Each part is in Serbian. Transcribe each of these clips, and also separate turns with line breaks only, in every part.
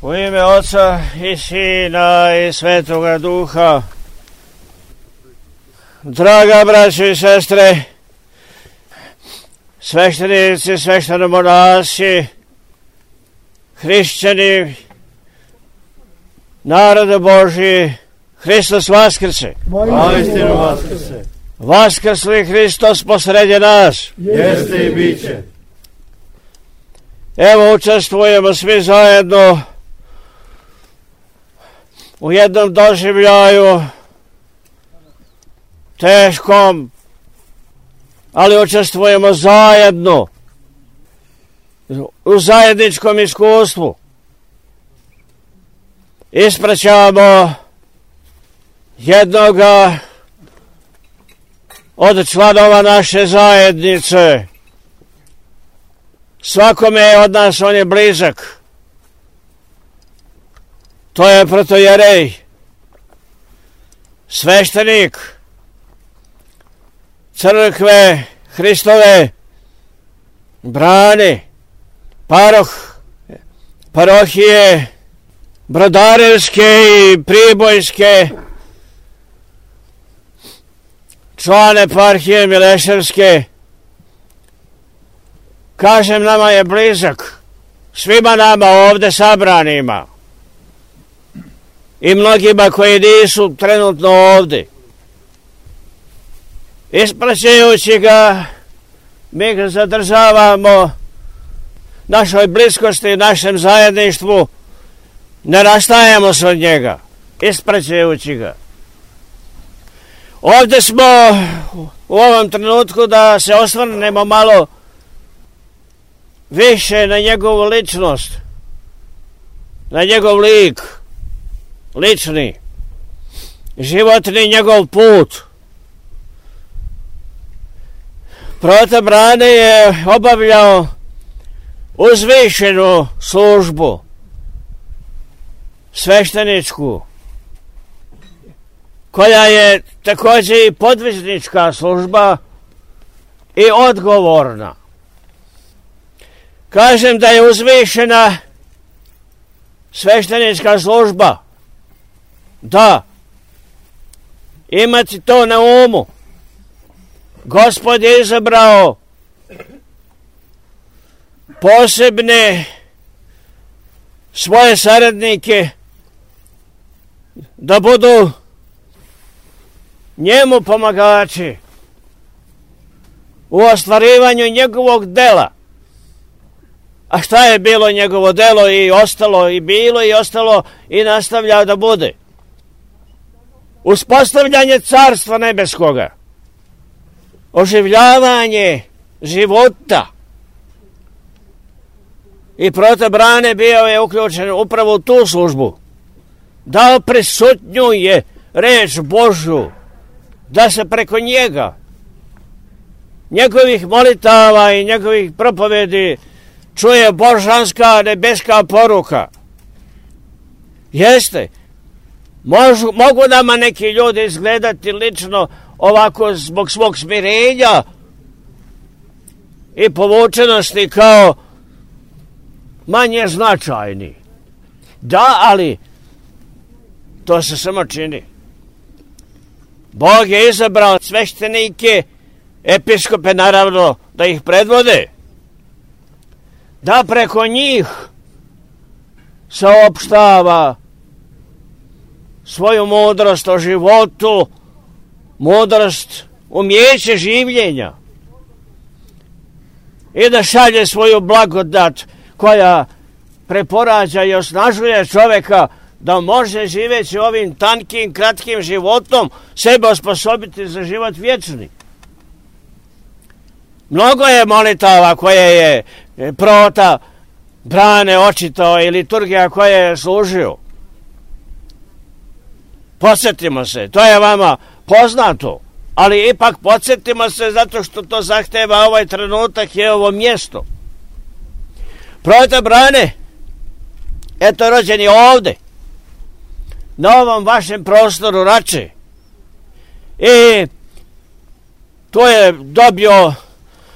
U ime Oca i Sina i Svetoga Duha. Draga braćo i sestre, sveštenici, sveštenomonasi, hrišćani, narode Božji, Hristos vaskrse.
Vaistinu vaskrse.
Vaskrsli Hristos posredi nas.
Jeste i bit će.
Evo učestvujemo svi zajedno u jednom doživljaju teškom, ali učestvujemo zajedno u zajedničkom iskustvu. Ispraćamo jednoga od članova naše zajednice. Svakome od nas on je blizak. To je protojerej, sveštenik crkve Hristove Brane, parohije Brodarevske i Pribojske, član eparhije Mileševske. Kažem, nama je blizak, svima nama ovde sabranima i mnogima koji nisu trenutno ovde. Ispraćajući ga, mi ga zadržavamo našoj bliskosti, našem zajedništvu, ne rastajemo se od njega, ispraćajući ga. Ovde smo u ovom trenutku da se osvrnemo malo više na njegovu ličnost, na njegov lik, lični, životni njegov put. Proto Brane je obavljao uzvišenu službu, svešteničku, koja je također i podvižnička služba i odgovorna. Kažem da je uzvišena sveštenička služba. Da, imati to na umu. Gospod je izabrao posebne svoje saradnike da budu njemu pomagači u ostvarivanju njegovog dela. A šta je bilo njegovo delo i ostalo i bilo i ostalo i nastavlja da bude? Uspostavljanje carstva nebeskoga, oživljavanje života. I proto Brane bio je uključen upravo u tu službu. Da prisutnjuje reč Božju, da se preko njega, njegovih molitava i njegovih propovedi čuje božanska nebeska poruka. Jeste, mogu nama neki ljudi izgledati lično ovako zbog svog smirenja i povučenosti kao manje značajni. Da, ali to se samo čini. Bog je izabrao sveštenike, episkope naravno, da ih predvode, da preko njih saopštava svoju mudrost o životu, mudrost, umijeće življenja i da šalje svoju blagodat koja preporađa i osnažuje čoveka da može živeći ovim tankim, kratkim životom sebe osposobiti za život vječni. Mnogo je molitava koje je prota Brane očitao i liturgija koje je služio. Podsjetimo se, to je vama poznato, ali ipak podsjetimo se zato što to zahteva ovaj trenutak i ovo mjesto. Prota Brane, eto rođen je ovde, na ovom vašem prostoru Rače. I tu je dobio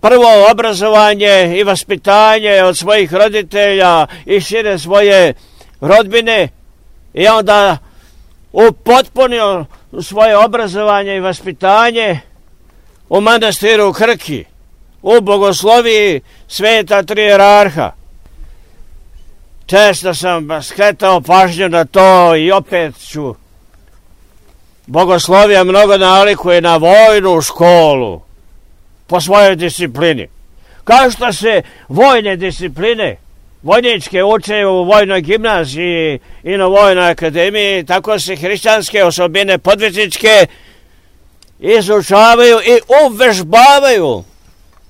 prvo obrazovanje i vaspitanje od svojih roditelja i šire svoje rodbine i onda upotpunio svoje obrazovanje i vaspitanje u manastiru Krki, u bogosloviji sveta trijerarha. Često sam skretao pažnju na to i opet ću. Bogoslovija mnogo nalikuje na vojnu školu po svojoj disciplini. Kao što se vojne discipline, vojničke uče u vojnoj gimnaziji i na vojnoj akademiji, tako se hrišćanske osobine podvižničke izučavaju i uvežbavaju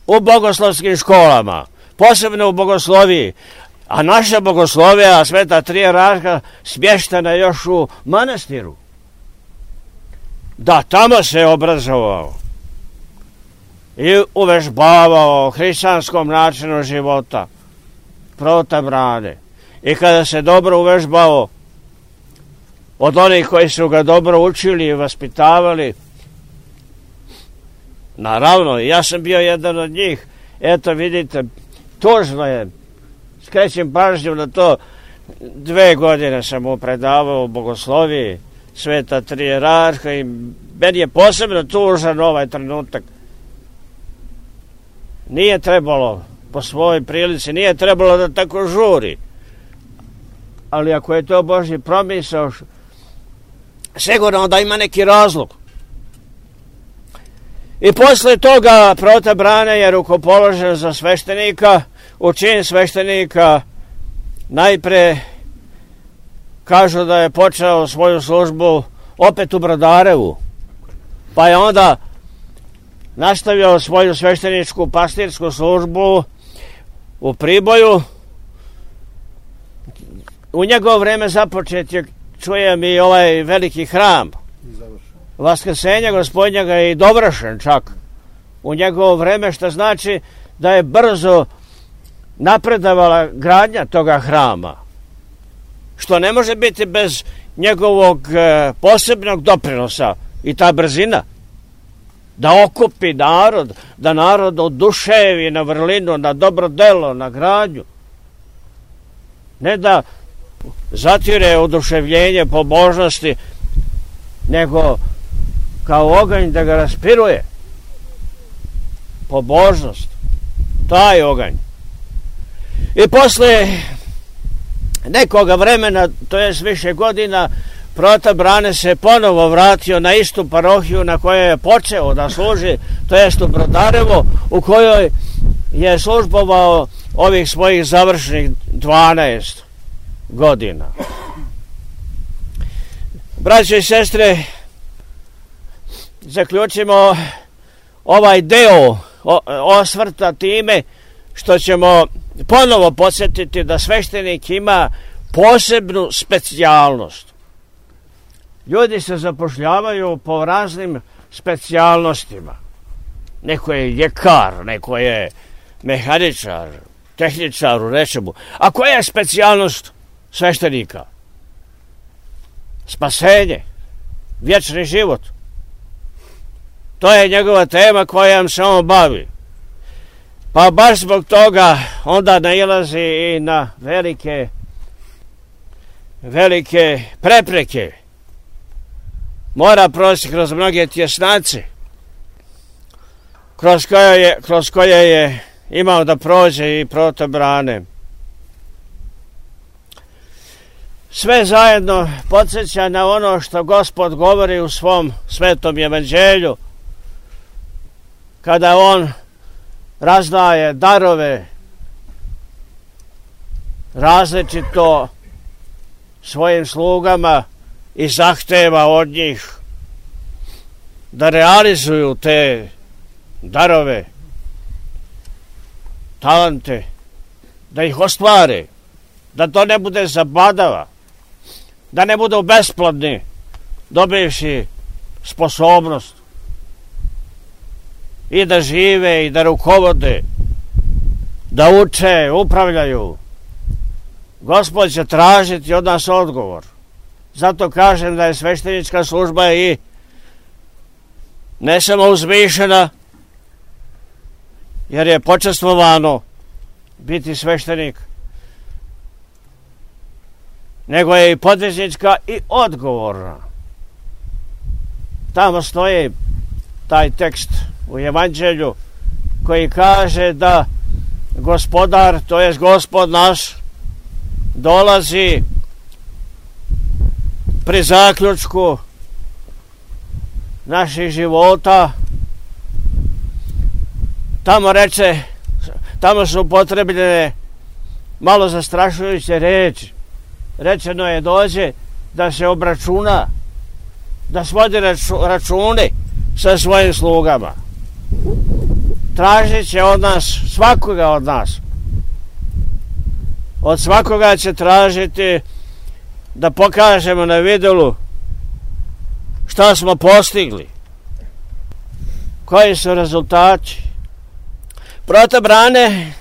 u bogoslovskim školama, posebno u bogosloviji. A naša bogoslovija, sveta trijerarha, smještena još u manastiru. Da, tamo se obrazovao i uvežbavao hrišćanskom načinu života Prota Brane. I kada se dobro uvežbao od onih koji su ga dobro učili i vaspitavali, naravno, ja sam bio jedan od njih. Eto, vidite, tužno je, skrećem pažnju na to, 2 godine sam mu predavao u bogosloviji sveta trijerarha i meni je posebno tužan ovaj trenutak. Nije trebalo, po svojoj prilici, nije trebalo da tako žuri. Ali ako je to Božji promisao, sigurno da ima neki razlog. I posle toga Prota Brane je rukopoložen za sveštenika, u čin sveštenika. Najpre kažu da je počeo svoju službu opet u Brodarevu, pa je onda nastavio svoju svešteničku pastirsku službu u Priboju. U njegovo vreme započet je, čujem, i ovaj veliki hram Vaskrsenja Gospodnjega je i dovršen čak u njegovo vreme, što znači da je brzo napredavala gradnja toga hrama, što ne može biti bez njegovog posebnog doprinosa. I ta brzina da okupi narod, da narod oduševi na vrlinu, na dobro delo, na gradnju, ne da zatire oduševljenje pobožnosti, nego kao oganj da ga raspiruje. Pobožnost, taj oganj. I posle nekoga vremena, to jest više godina, Prota Brane se ponovo vratio na istu parohiju na kojoj je počeo da služi, to jest u Brodarevo, u kojoj je službovao ovih svojih završnih 12 godina. Braće i sestre, zaključimo ovaj deo osvrta time što ćemo ponovo podsjetiti da sveštenik ima posebnu specijalnost. Ljudi se zapošljavaju po raznim specijalnostima. Neko je ljekar, neko je mehaničar, tehničar u nečemu. A koja je specijalnost sveštenika? Spasenje, vječni život. To je njegova tema kojom se on bavi. Pa baš zbog toga onda nailazi i na velike prepreke. Mora proći kroz mnoge tjesnace kroz koje je imao da prođe i Prota Brane. Sve zajedno podsjeća na ono što Gospod govori u svom svetom evanđelju, kada on razdaje darove različito svojim slugama i zahteva od njih da realizuju te darove, talente, da ih ostvare, da to ne bude zabadava, da ne budu besplodni, dobivši sposobnost i da žive i da rukovode, da uče, upravljaju. Gospod će tražiti od nas odgovor. Zato kažem da je sveštenička služba i ne samo uzvišena, jer je počastvovano biti sveštenik, nego je i podvižnička i odgovorna. Tamo stoji taj tekst u Evanđelju koji kaže da gospodar, to jest Gospod naš, dolazi pri zaključku naših života. Tamo su upotrebljene malo zastrašujuće reči. Rečeno je dođe da se obračuna, da svodi račune sa svojim slugama. Tražit će od nas, svakoga od nas. Od svakoga će tražiti da pokažemo na vidilu šta smo postigli, koji su rezultati. Proto Brane,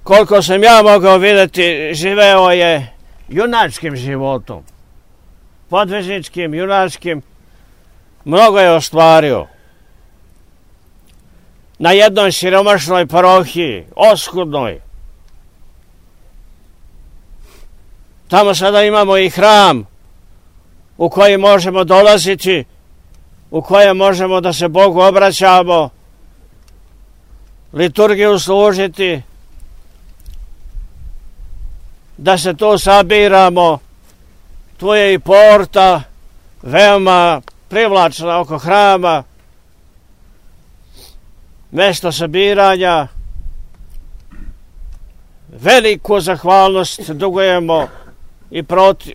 koliko sam ja mogao vidjeti, živeo je junačkim životom, podvižničkim, junačkim, mnogo je ostvario. Na jednoj siromašnoj parohiji, oskudnoj. Tamo sada imamo i hram u koji možemo dolaziti, u kojem možemo da se Bogu obraćamo, liturgiju služiti, da se tu sabiramo. Tu je i porta veoma privlačna oko hrama, mjesto sabiranja. Veliku zahvalnost dugujemo i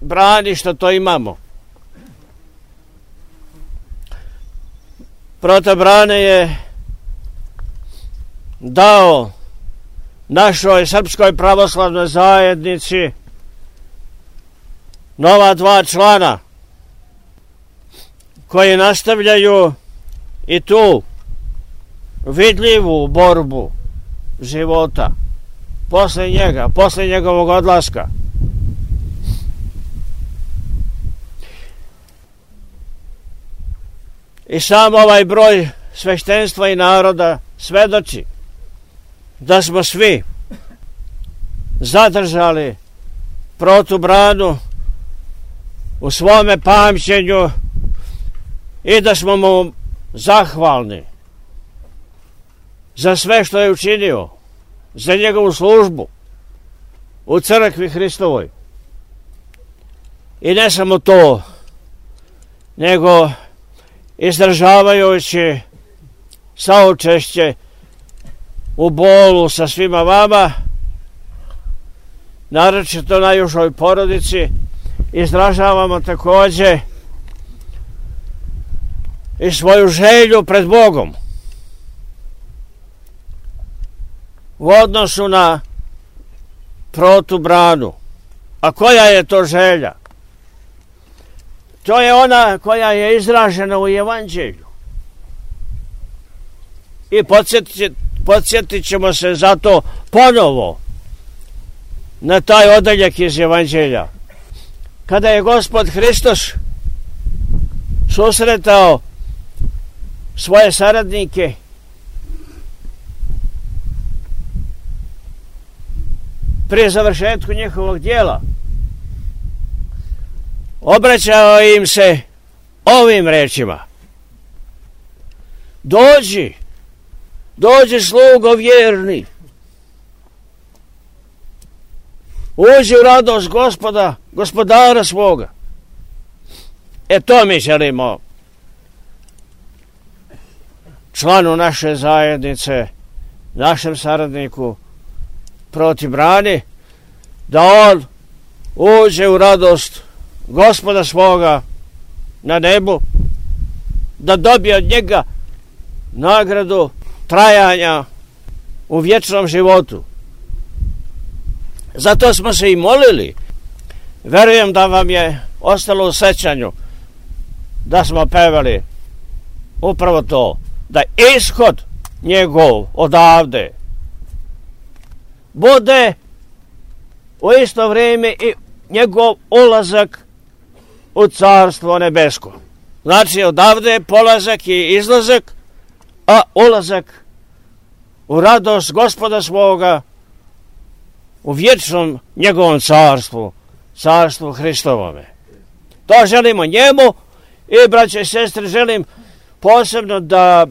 Brani što to imamo. Proto Brane je dao našoj Srpskoj pravoslavnoj zajednici nova 2 člana koji nastavljaju i tu vidljivu borbu života posle njega, posle njegovog odlaska. I sam ovaj broj sveštenstva i naroda svedoči da smo svi zadržali Protu Branu u svome pamćenju i da smo mu zahvalni za sve što je učinio, za njegovu službu u crkvi Hristovoj. I ne samo to, nego izdržavajući saučešće u bolu sa svima vama, naročito najužoj porodici, izražavamo također i svoju želju pred Bogom u odnosu na Protu Branu. A koja je to želja? To je ona koja je izražena u Evanđelju. I podsjetit ćemo se zato ponovo na taj odeljak iz Evanđelja. Kada je Gospod Hristos susretao svoje saradnike prije završetku njihovog djela, obraćao im se ovim rečima: dođi slugo vjerni, uđi u radost gospodara svoga. To mi želimo članu naše zajednice, našem saradniku Proti Brani, da on uđe u radost Gospoda svoga na nebu, da dobije od njega nagradu trajanja u vječnom životu. Zato smo se i molili. Verujem da vam je ostalo u sećanju da smo pevali upravo to, da ishod njegov odavde bude u isto vrijeme i njegov ulazak u Carstvo nebesko. Znači odavde je polazak i izlazak, a ulazak u radost Gospoda svoga, u vječnom njegovom carstvu carstvu Hristovome. To želimo njemu i, braće i sestre, želim posebno da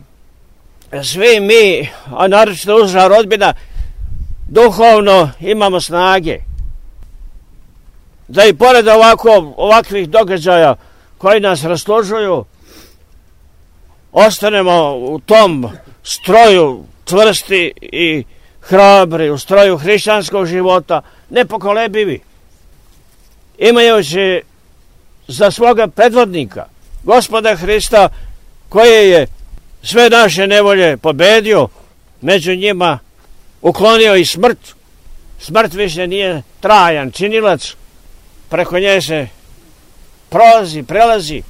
svi mi, a naročito uža rodbina, duhovno imamo snage. Da i pored ovakvih događaja koji nas rastužuju, ostanemo u tom stroju čvrsti i hrabri, u stroju hrišćanskog života, nepokolebivi, imajući za svoga predvodnika Gospoda Hrista, koji je sve naše nevolje pobedio, među njima uklonio i smrt. Smrt više nije trajan činilac, preko nje se prelazi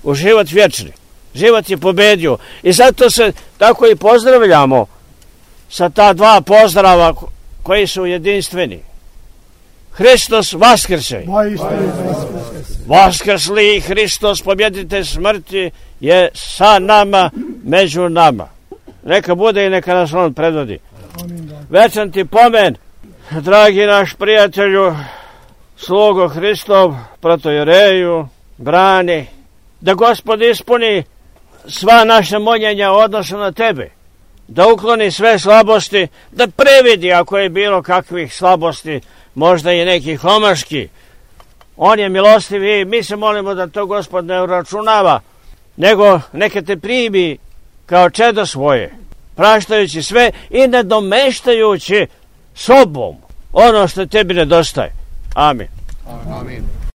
u život vječni. Život je pobedio i zato se tako i pozdravljamo sa ta dva pozdrava koji su jedinstveni. Hristos vaskrse. Vaskrsli Hristos, pobjeditelj smrti, je sa nama, među nama. Neka bude i neka nas on predvodi. Večan ti pomen, dragi naš prijatelju, slugo Hristov, protojereju, brani, da Gospod ispuni sva naša moljenja u odnosu na tebe, da ukloni sve slabosti, da previdi ako je bilo kakvih slabosti, možda i nekih omaški. On je milostiv i mi se molimo da to Gospod ne uračunava, nego neka te primi kao čedo svoje, praštajući sve i nadomeštajući sobom ono što tebi nedostaje. Amin.
Amin.